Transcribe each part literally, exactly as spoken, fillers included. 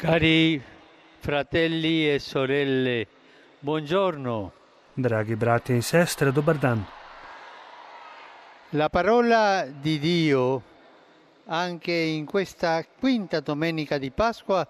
Cari fratelli e sorelle, buongiorno. Dragi brati in sestre, dobar dan. La parola di Dio, anche in questa quinta domenica di Pasqua,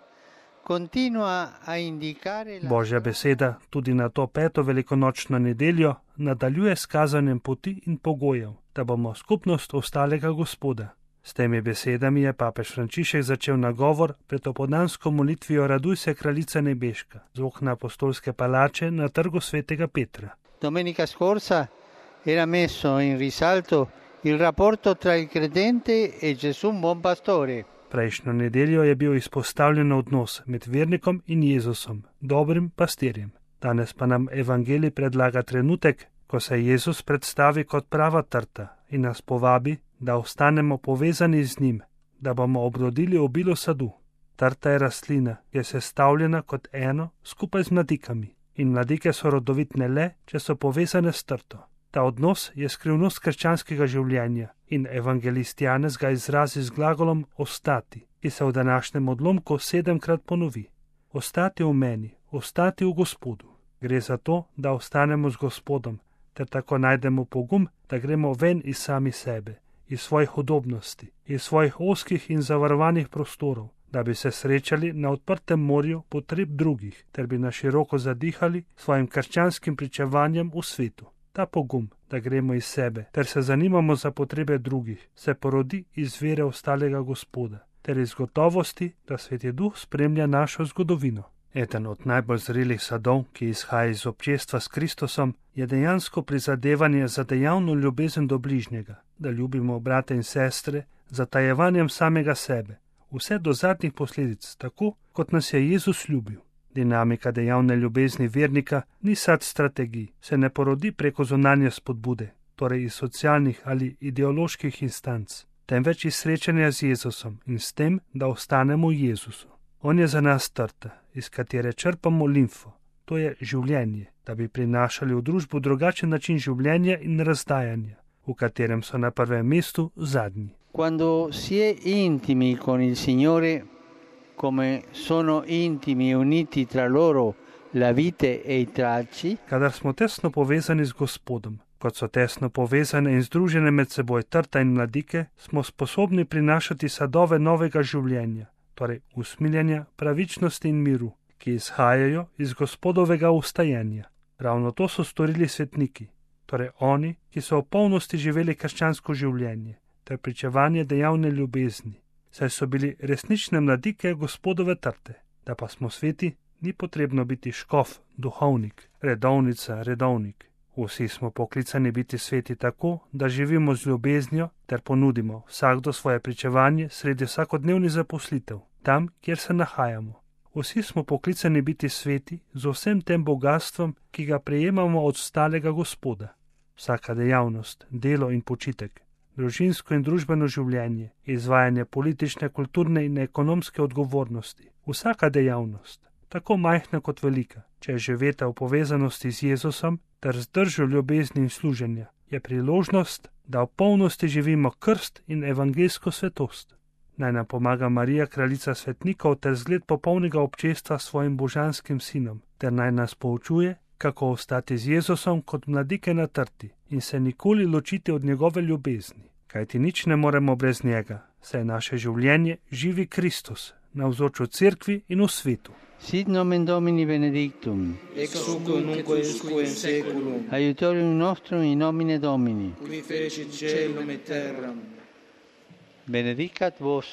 continua a indicare la... Božja beseda tudi na to peto velikonočno nedeljo nadaljuje s kazanjem poti in pogojev, da bomo skupnost ostalega Gospoda. S temi besedami je papež Frančišek začel nagovor pred opoldansko molitvijo Raduj se, kraljica nebeška, z okna apostolske palače na trgu svetega Petra. Domenica scorsa era messo in risalto il rapporto tra il credente e Gesù buon pastore. Prejšnjo nedeljo je bil izpostavljen odnos med vernikom in Jezusom, dobrim pastirjem. Danes pa nam evangelij predlaga trenutek, ko se Jezus predstavi kot prava trta in nas povabi, da ostanemo povezani z njim, da bomo obrodili obilo sadu. Trta je rastlina, ki je sestavljena kot eno skupaj z mladikami. In mladike so rodovitne le, če so povezane s trto. Ta odnos je skrivnost krščanskega življenja in evangelist Janez ga izrazi z glagolom ostati, ki se v današnjem odlomku sedemkrat ponovi. Ostati v meni, ostati v Gospodu. Gre za to, da ostanemo z Gospodom, ter tako najdemo pogum, da gremo ven iz sami sebe, iz svojih udobnosti, iz svojih ozkih in zavarovanih prostorov, da bi se srečali na odprtem morju potreb drugih, ter bi na široko zadihali svojim krščanskim pričevanjem v svetu. Ta pogum, da gremo iz sebe, ter se zanimamo za potrebe drugih, se porodi iz vere ostalega Gospoda, ter iz gotovosti, da Sveti Duh spremlja našo zgodovino. Eden od najbolj zrelih sadov, ki izhaja iz občestva s Kristusom, je dejansko prizadevanje za dejavno ljubezen do bližnjega, da ljubimo brate in sestre z zatajevanjem samega sebe, vse do zadnjih posledic, tako kot nas je Jezus ljubil. Dinamika dejavne ljubezni vernika ni sad strategij, se ne porodi preko zunanje spodbude, torej iz socialnih ali ideoloških instanc, temveč iz srečanja z Jezusom in s tem, da ostanemo v Jezusu. On je za nas trta, iz katere črpamo limfo, to je življenje, da bi prinašali v družbo drugačen način življenja in razdajanja, v katerem so na prvem mestu zadnji. Quando si è intimi con il Signore, come sono intimi e uniti tra loro la vite e i tralci, kadar smo tesno povezani z Gospodom, kot so tesno povezane in združene med seboj trta in mladike, smo sposobni prinašati sadove novega življenja, torej usmiljenja, pravičnosti in miru, ki izhajajo iz Gospodovega ustajenja. Ravno to so storili svetniki, torej oni, ki so v polnosti živeli krščansko življenje, ter pričevanje dejavne ljubezni, saj so bili resnične mladike Gospodove trte. Da pa smo sveti, ni potrebno biti škof, duhovnik, redovnica, redovnik. Vsi smo poklicani biti sveti tako, da živimo z ljubeznijo ter ponudimo vsakdo svoje pričevanje sredi vsakodnevnih zaposlitev, tam, kjer se nahajamo. Vsi smo poklicani biti sveti z vsem tem bogatstvom, ki ga prejemamo od ostalega Gospoda. Vsaka dejavnost, delo in počitek, družinsko in družbeno življenje, izvajanje politične, kulturne in ekonomske odgovornosti, vsaka dejavnost, tako majhna kot velika, če je živeta v povezanosti z Jezusom ter zdržjo ljubezni in služenja, je priložnost, da v polnosti živimo krst in evangelsko svetost. Naj nam pomaga Marija, kraljica svetnikov, ter zgled popolnega občestva s svojim božanskim sinom, ter naj nas poučuje, kako ostati z Jezusom kot mladike na trti in se nikoli ločiti od njegove ljubezni, kajti nič ne moremo brez njega, saj naše življenje živi Kristus, navzoč v cerkvi in v svetu. Sit nomen Domini benedictum, ex hoc nunc et usque in saeculum, aiutorium nostrum in nomine Domini. qui fecit caelum et terram. Benedicat vos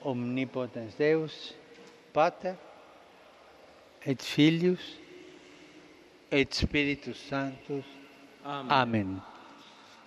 omnipotens Deus, Pater et Filius et Spiritus Sanctus. Amen. Amen.